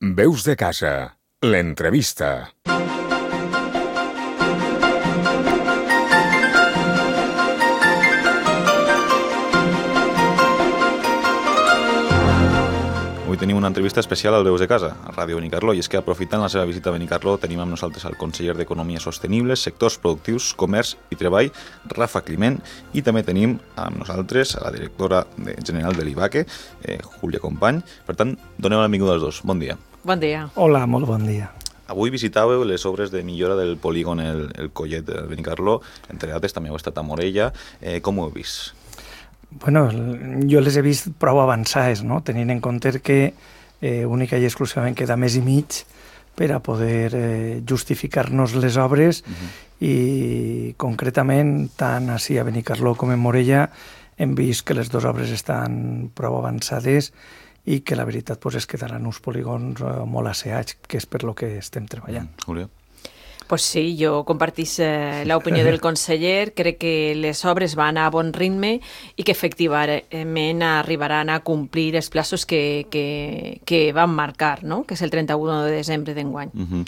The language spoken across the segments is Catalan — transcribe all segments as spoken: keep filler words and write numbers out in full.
Veus de casa, l'entrevista. Avui tenim una entrevista especial al Veus de Casa, a Ràdio Benicarló, i és que aprofitant la seva visita a Benicarló tenim amb nosaltres el conseller d'Economia Sostenible, Sectors Productius, Comerç i Treball, Rafa Climent, i també tenim amb nosaltres a la directora general de l'I B A C E, eh, Júlia Company. Per tant, doneu la benvinguda als dos. Bon dia. Bon dia. Hola, molt bon dia. Avui visitàveu les obres de millora del polígon El, el Collet de Benicarló, entre altres també heu estat a Morella. Eh, com ho heu vist? Bueno, jo les he vist prou avançades, no? Tenint en compte que eh, única i exclusivament queda mes i mig per a poder eh, justificar-nos les obres uh-huh. i concretament tant així a Benicarló com a Morella hem vist que les dues obres estan prou avançades i que la veritat pues, es quedaran uns polígons eh, molt asseats, que és per lo que estem treballant. Mm, Júlia? Pues sí, jo compartís eh, l'opinió del conseller. Crec que les obres van a bon ritme i que efectivament arribaran a complir els plaços que, que, que van marcar, no? Que és el trenta-u de desembre d'enguany. Uh-huh.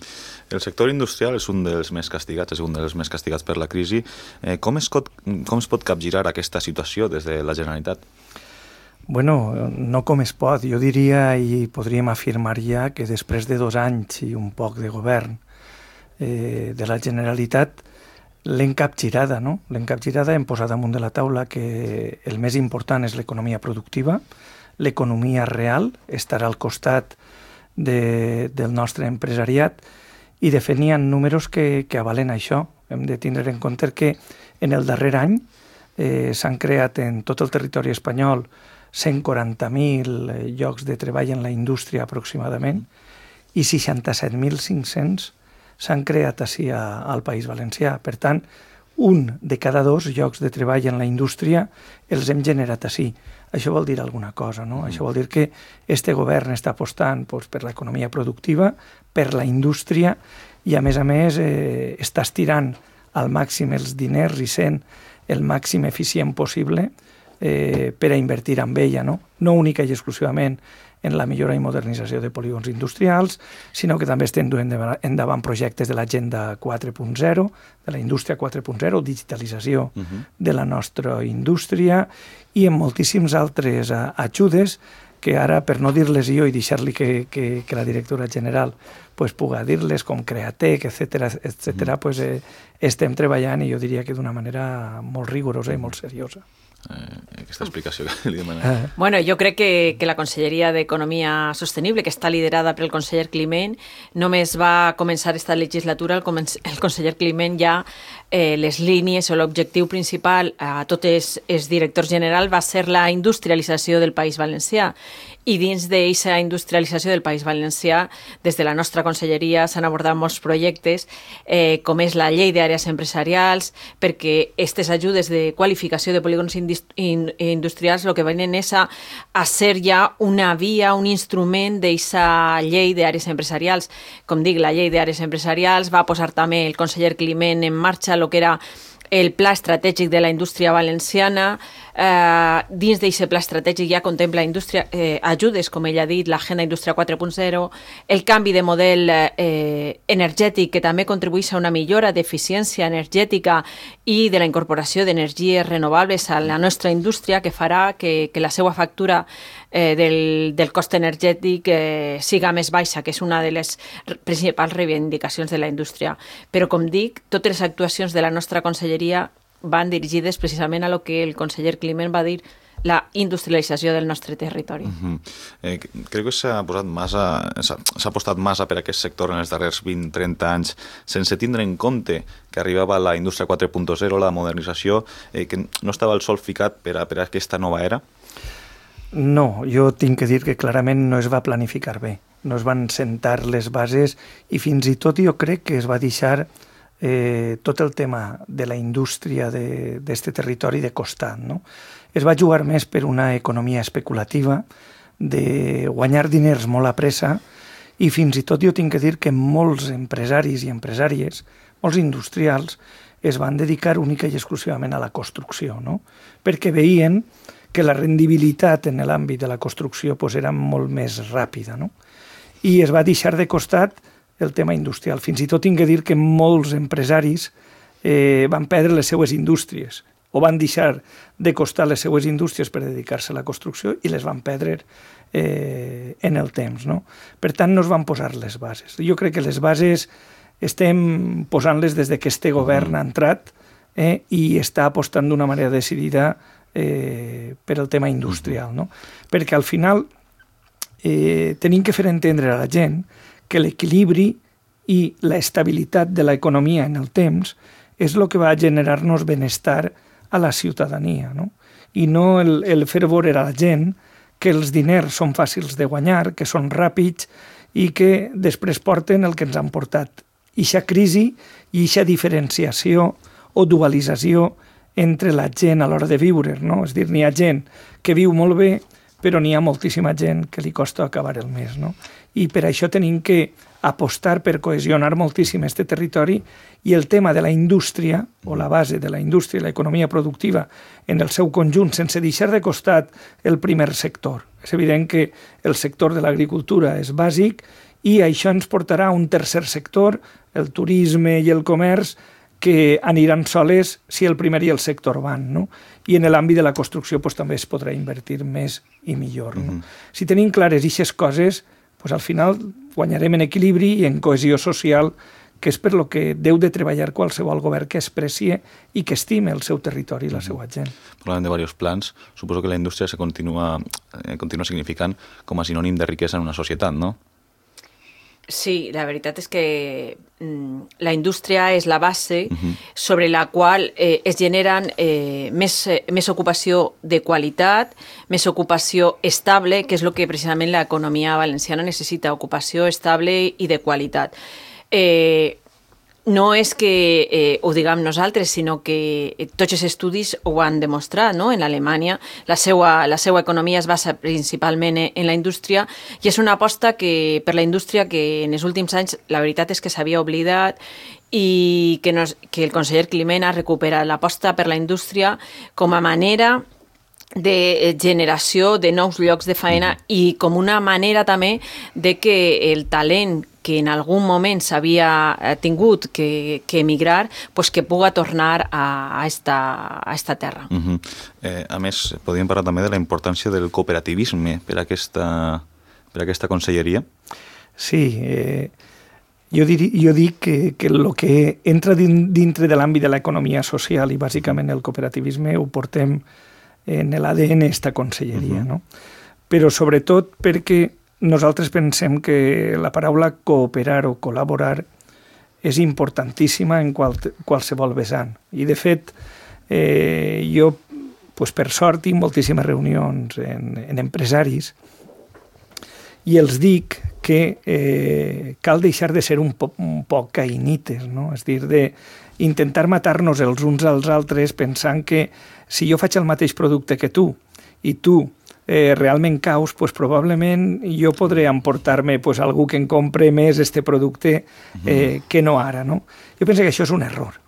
El sector industrial és un dels més castigats, és un dels més castigats per la crisi. Eh, com, es pot, com es pot capgirar aquesta situació des de la Generalitat? Bueno, no com es pot. Jo diria i podríem afirmar ja que després de dos anys i un poc de govern Eh, de la Generalitat l'hem capgirada, no? L'hem capgirada, hem posat damunt de la taula que el més important és l'economia productiva, l'economia real estarà al costat de, del nostre empresariat i de fet n'hi ha números que, que avalen això. Hem de tindre en compte que en el darrer any eh, s'han creat en tot el territori espanyol cent quaranta mil llocs de treball en la indústria aproximadament i seixanta-set mil cinc-cents s'han creat així a, al País Valencià. Per tant, un de cada dos llocs de treball en la indústria els hem generat així. Això vol dir alguna cosa, no? Mm. Això vol dir que este govern està apostant pues, per l'economia productiva, per la indústria i, a més a més, eh, està estirant al màxim els diners i sent el màxim eficient possible eh, per a invertir en ella, no? No única i exclusivament en la millora i modernització de polígons industrials, sinó que també estem duent endavant projectes de l'Agenda quatre punt zero, de la indústria quatre punt zero, digitalització uh-huh. de la nostra indústria i en moltíssims altres uh, ajudes que ara, per no dir-les jo i deixar-li que, que, que la directora general pues, puga dir-les, com Createc, etcètera, etcètera, uh-huh. pues, eh, estem treballant i jo diria que d'una manera molt rigorosa i molt seriosa. Eh, aquesta explicació que li demanem. Bueno, jo crec que, que la Conselleria d'Economia Sostenible, que està liderada pel conseller Climent, només va començar esta legislatura, el, el conseller Climent ja eh, les línies o l'objectiu principal a tots els, els directors generals va ser la industrialització del País Valencià. I dins d'aquesta industrialització del País Valencià, des de la nostra conselleria s'han abordat molts projectes, eh, com és la llei d'àrees empresarials, perquè aquestes ajudes de qualificació de polígons industrials el que venen és a, a ser ja una via, un instrument d'aquesta llei d'àrees empresarials. Com dic, la llei d'àrees empresarials va posar també el conseller Climent en marxa el que era el pla estratègic de la indústria valenciana. Eh, dins d'aquest pla estratègic ja contempla indústria, eh, ajudes, com ell ha dit, l'Agenda Indústria quatre punt zero, el canvi de model eh, energètic, que també contribueix a una millora d'eficiència energètica i de la incorporació d'energies renovables a la nostra indústria, que farà que, que la seva factura eh, del, del cost energètic eh, siga més baixa, que és una de les principals reivindicacions de la indústria. Però, com dic, totes les actuacions de la nostra conselleria van dirigides precisament a lo que el conseller Climent va dir, la industrialització del nostre territori. Uh-huh. eh, crec que s'ha posat massa, s'ha, s'ha apostat massa per aquest sector en els darrers vint a trenta anys, sense tindre en compte que arribava la indústria quatre punt zero, la modernització, eh, que no estava el sol ficat per a, per a aquesta nova era? No, jo tinc que dir que clarament no es va planificar bé. No es van sentar les bases i fins i tot jo crec que es va deixar Eh, tot el tema de la indústria d'aquest territori de costat, no? Es va jugar més per una economia especulativa, de guanyar diners molt a pressa i fins i tot jo tinc que dir que molts empresaris i empresàries, molts industrials, es van dedicar única i exclusivament a la construcció, no? Perquè veien que la rendibilitat en l'àmbit de la construcció pues, era molt més ràpida, no? i es va deixar de costat el tema industrial. Fins i tot tinc que dir que molts empresaris eh, van perdre les seues indústries o van deixar de costar les seues indústries per dedicar-se a la construcció i les van perdre eh, en el temps. No? Per tant, no es van posar les bases. Jo crec que les bases estem posant-les des que este govern ha entrat eh, i està apostant d'una manera decidida eh, per el tema industrial. No? Perquè al final eh, tenim que fer entendre a la gent que l'equilibri i l'estabilitat de l'economia en el temps és el que va generar-nos benestar a la ciutadania, no? I no el, el fer veure a la gent que els diners són fàcils de guanyar, que són ràpids i que després porten el que ens han portat. Ixa crisi i ixa diferenciació o dualització entre la gent a l'hora de viure, no? És a dir, n'hi ha gent que viu molt bé, però n'hi ha moltíssima gent que li costa acabar el mes, no? I per això tenim que apostar per cohesionar moltíssim aquest territori i el tema de la indústria, o la base de la indústria i l'economia productiva en el seu conjunt, sense deixar de costat el primer sector. És evident que el sector de l'agricultura és bàsic i això ens portarà a un tercer sector, el turisme i el comerç, que aniran soles si el primer i el sector van, no? I en l'àmbit de la construcció pues, també es podrà invertir més i millor. No? Uh-huh. Si tenim clares aquestes coses, pues, al final guanyarem en equilibri i en cohesió social, que és per lo que deu de treballar qualsevol govern que es precie i que estime el seu territori i la seva gent. Parlant de diversos plans, suposo que la indústria se continua, eh, continua significant com a sinònim de riquesa en una societat, no? Sí, la veritat és que mm, la indústria és la base uh-huh. sobre la qual eh, es generen eh, més, eh, més ocupació de qualitat, més ocupació estable, que és el que precisament l'economia valenciana necessita, ocupació estable i de qualitat. Eh, no és que eh, ho diguem nosaltres, sinó que tots els estudis ho han demostrat, no? En Alemanya la seva, la seva economia es basa principalment en la indústria i és una aposta que, per la indústria que en els últims anys la veritat és que s'havia oblidat i que, no, que el conseller Climent ha recuperat l'aposta per la indústria com a manera de generació de nous llocs de feina i com una manera també de que el talent que en algun moment s'havia tingut que, que emigrar, pues que puga tornar a, a, esta, a esta terra. Uh-huh. eh, a més, podríem parlar també de la importància del cooperativisme per a aquesta, per a aquesta conselleria. Sí, eh, jo, dir, jo dic que, que el que entra din, dintre de l'àmbit de l'economia social i bàsicament el cooperativisme ho portem en l'A D N esta conselleria, uh-huh. no? Però sobretot perquè nosaltres pensem que la paraula cooperar o col·laborar és importantíssima en qual, qualsevol vessant. I, de fet, eh, jo, pues, per sort, tinc moltíssimes reunions en, en empresaris i els dic que eh, cal deixar de ser un, po un poc caïnites, no? És dir, d'intentar matar-nos els uns als altres pensant que si jo faig el mateix producte que tu i tu Eh, realment caus, pues, probablement jo podré emportar-me pues, algú que em compre més este producte eh, que no ara. No? Jo penso que això és un error.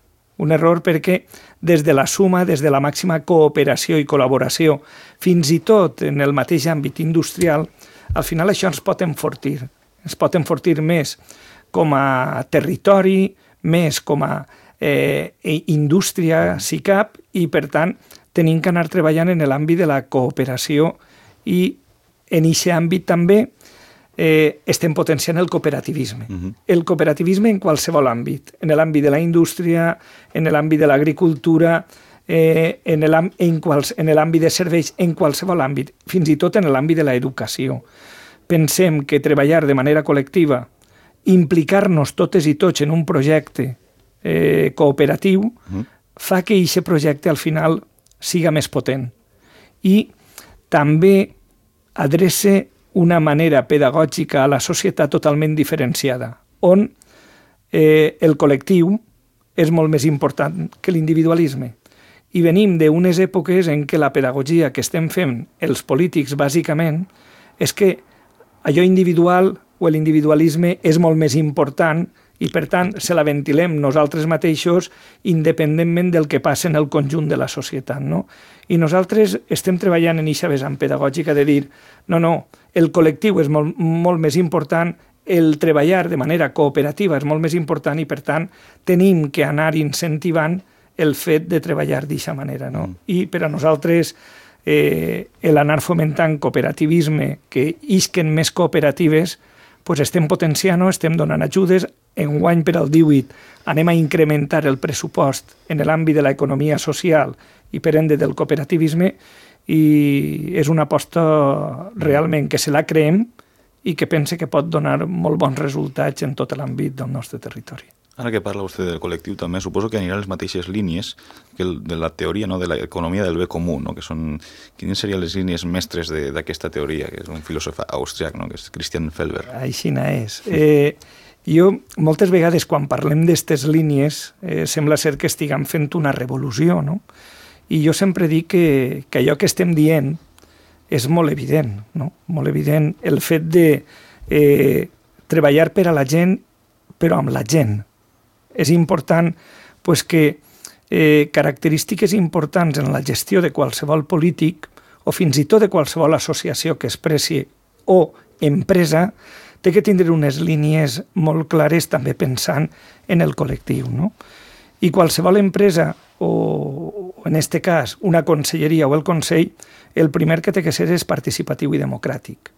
Un error perquè des de la suma, des de la màxima cooperació i col·laboració, fins i tot en el mateix àmbit industrial, al final això ens pot enfortir. Ens pot enfortir més com a territori, més com a eh, indústria, S I C A P, i per tant tenim que anar treballant en l'àmbit de la cooperació i en aquest àmbit també eh, estem potenciant el cooperativisme. Uh-huh. El cooperativisme en qualsevol àmbit, en l'àmbit de la indústria, en l'àmbit de l'agricultura, eh, en l'àmbit de serveis, en qualsevol àmbit, fins i tot en l'àmbit de l'educació. Pensem que treballar de manera col·lectiva, implicar-nos totes i tots en un projecte eh, cooperatiu, uh-huh. fa que aquest projecte al final siga més potent i també adreça una manera pedagògica a la societat totalment diferenciada, on eh, el col·lectiu és molt més important que l'individualisme. I venim d'unes èpoques en què la pedagogia que estem fent els polítics, bàsicament, és que allò individual o l'individualisme és molt més important i per tant se la ventilem nosaltres mateixos independentment del que passa en el conjunt de la societat, no? I nosaltres estem treballant en aquesta vessant pedagògica de dir no, no, el col·lectiu és molt, molt més important, el treballar de manera cooperativa és molt més important i, per tant, tenim que anar incentivant el fet de treballar d'aquesta manera, no? Mm. I per a nosaltres eh, l'anar fomentant cooperativisme, que isquen més cooperatives, pues estem potenciant-ho, estem donant ajudes. Enguany per al divuit anem a incrementar el pressupost en l'àmbit de l'economia social i per ende del cooperativisme, i és una aposta realment que se la creem i que pense que pot donar molt bons resultats en tot l'àmbit del nostre territori. Ara que parla vostè del col·lectiu, també suposo que anirà a les mateixes línies que el, de la teoria, no, de l'economia del bé comú, no? Que són, quines serien les línies mestres d'aquesta teoria, que és un filòsof austríac, no? Que és Christian Felber. Aixina és. Eh, jo, moltes vegades, quan parlem d'aquestes línies, eh, sembla ser que estiguem fent una revolució, no? I jo sempre dic que, que allò que estem dient és molt evident, no? Molt evident el fet de eh, treballar per a la gent, però amb la gent. És important pues, que eh, característiques importants en la gestió de qualsevol polític o fins i tot de qualsevol associació que expressi o empresa té que tindre unes línies molt clares també pensant en el col·lectiu, no? I qualsevol empresa o, en este cas, una conselleria o el Consell, el primer que té que ser és participatiu i democràtic.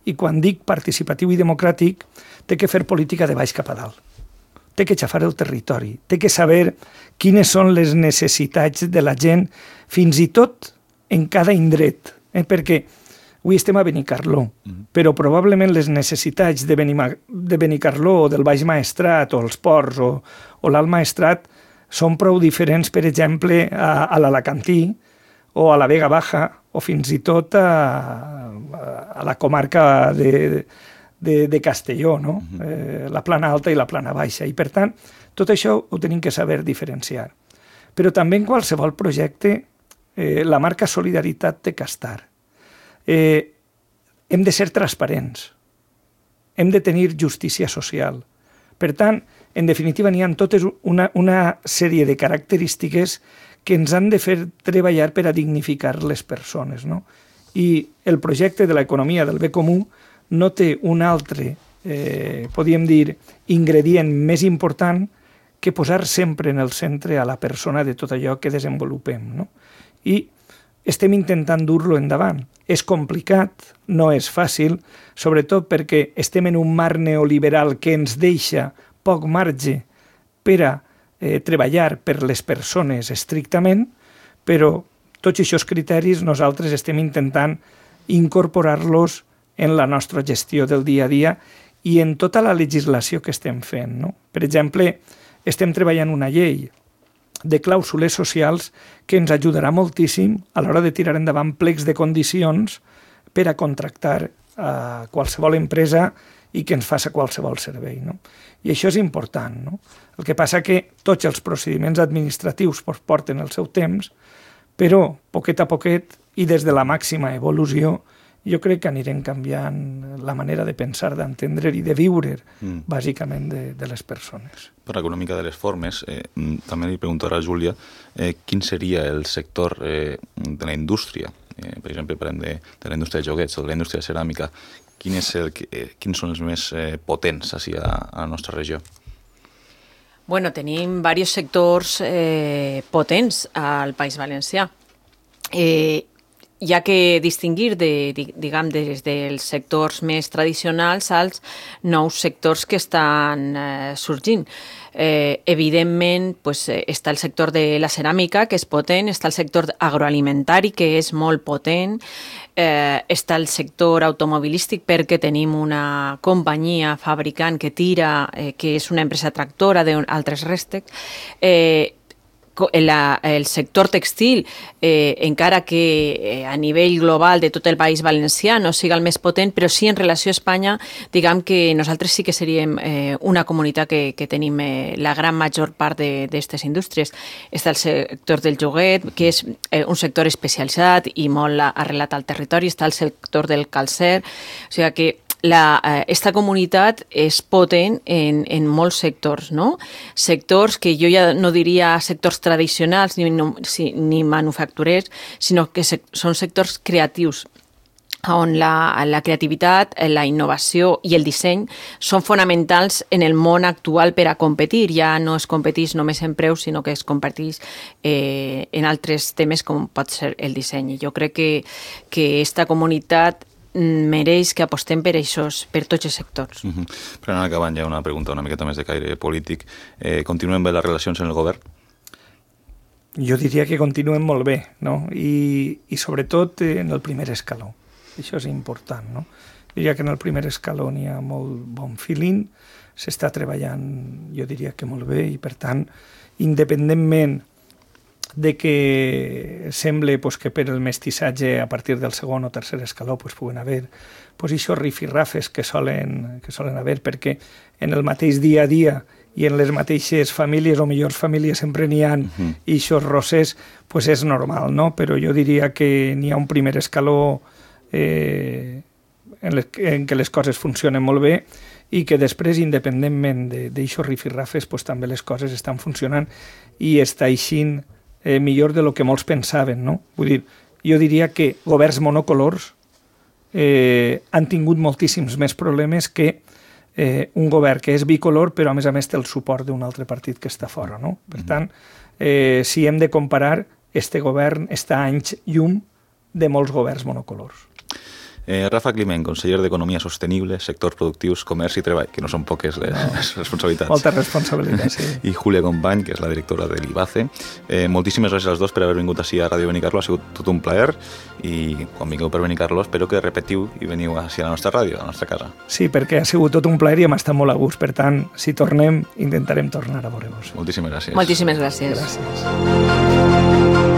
I quan dic participatiu i democràtic, té que fer política de baix cap a dalt. Té que xafar el territori, té que saber quines són les necessitats de la gent, fins i tot en cada indret, eh? Perquè avui estem a Benicarló, mm. però probablement les necessitats de, Benima, de Benicarló o del Baix Maestrat o els Ports o, o l'Alt Maestrat són prou diferents, per exemple, a, a l'Alacantí o a la Vega Baja o fins i tot a, a la comarca de, de, de Castelló, no? Uh-huh. eh, la plana alta i la plana baixa. I, per tant, tot això ho tenim que saber diferenciar. Però també en qualsevol projecte eh, la marca solidaritat té que estar. Eh, hem de ser transparents. Hem de tenir justícia social. Per tant, en definitiva, n'hi ha totes una, una sèrie de característiques que ens han de fer treballar per a dignificar les persones, no? I el projecte de l'economia del bé comú no té un altre, eh, podríem dir, ingredient més important que posar sempre en el centre a la persona de tot allò que desenvolupem, no? I estem intentant dur-lo endavant. És complicat, no és fàcil, sobretot perquè estem en un marc neoliberal que ens deixa poc marge per a eh, treballar per les persones estrictament, però tots aquests criteris nosaltres estem intentant incorporar-los en la nostra gestió del dia a dia i en tota la legislació que estem fent, no? Per exemple, estem treballant una llei de clàusules socials que ens ajudarà moltíssim a l'hora de tirar endavant plecs de condicions per a contractar a qualsevol empresa i que ens faça qualsevol servei, no? I això és important, no? El que passa que tots els procediments administratius porten el seu temps, però poquet a poquet i des de la màxima evolució jo crec que anirem canviant la manera de pensar, d'entendre i de viure, mm. bàsicament, de, de les persones. Parlant una mica de les formes, eh, també li pregunto ara a Júlia, eh, quin seria el sector eh, de la indústria, eh, per exemple, parlem de, de la indústria de joguets o de la indústria de ceràmica, quin és el, eh, quins són els més eh, potents així a, a la nostra regió? Bueno, tenim diversos sectors eh, potents al País Valencià. Eh, hi ha que distingir de, diguem, des dels sectors més tradicionals als nous sectors que estan eh, sorgint. Eh, evidentment, pues, està el sector de la ceràmica, que és potent, està el sector agroalimentari, que és molt potent, eh, està el sector automobilístic, perquè tenim una companyia fabricant que tira, eh, que és una empresa tractora d'altres rèstecs, eh, La, el sector textil, eh, encara que eh, a nivell global de tot el País Valencià no siga el més potent, però sí en relació a Espanya, diguem que nosaltres sí que seríem eh, una comunitat que, que tenim eh, la gran major part d'aquestes indústries. Està el sector del joguet, que és eh, un sector especialitzat i molt arrelat al territori, està el sector del calcer, o sigui que la, eh, esta comunitat és potent en, en molts sectors, no? Sectors que jo ja no diria sectors tradicionals ni, no, si, ni manufacturers, sinó que se, són sectors creatius, on la, la creativitat, la innovació i el disseny són fonamentals en el món actual per a competir. Ja no es competeix només en preus, sinó que es competeix eh, en altres temes com pot ser el disseny. I jo crec que, que esta comunitat mereix que apostem per això, per tots els sectors. Uh-huh. Per anar acabant ja una pregunta una miqueta més de caire polític. Eh, continuen bé les relacions en el govern? Jo diria que continuen molt bé, no? I, i sobretot en el primer escaló. Això és important, no? Diria que en el primer escaló n'hi ha molt bon feeling, s'està treballant, jo diria que molt bé, i per tant, independentment de que sembla pues, que per el mestissatge a partir del segon o tercer escaló pues, puguen haver pues, això rifirrafes que solen, que solen haver, perquè en el mateix dia a dia i en les mateixes famílies o millors famílies sempre n'hi ha uh-huh. i això rosses pues, és normal, no? Però jo diria que n'hi ha un primer escaló Eh, en, les, en què les coses funcionen molt bé i que després, independentment d'això rifirrafes, pues, també les coses estan funcionant i està eixint eh, millor de lo que molts pensaven, no? Vull dir, jo diria que governs monocolors eh, han tingut moltíssims més problemes que eh, un govern que és bicolor però a més a més té el suport d'un altre partit que està fora, no? Per tant, eh, si hem de comparar, este govern està a anys llum de molts governs monocolors. Eh, Rafa Climent, conseller d'Economia Sostenible, Sectors Productius, Comerç i Treball, que no són poques les no. responsabilitats. Moltes responsabilitats, sí. I Júlia Company, que és la directora de l'I B A C E. Eh, moltíssimes gràcies als dos per haver vingut així a Ràdio Benicarló, ha sigut tot un plaer i quan vingueu per Benicarló espero que repetiu i veniu així a la nostra ràdio, a la nostra casa. Sí, perquè ha sigut tot un plaer i hem estat molt a gust, per tant, si tornem, intentarem tornar a veure-vos. Moltíssimes gràcies. Moltíssimes gràcies. Gràcies.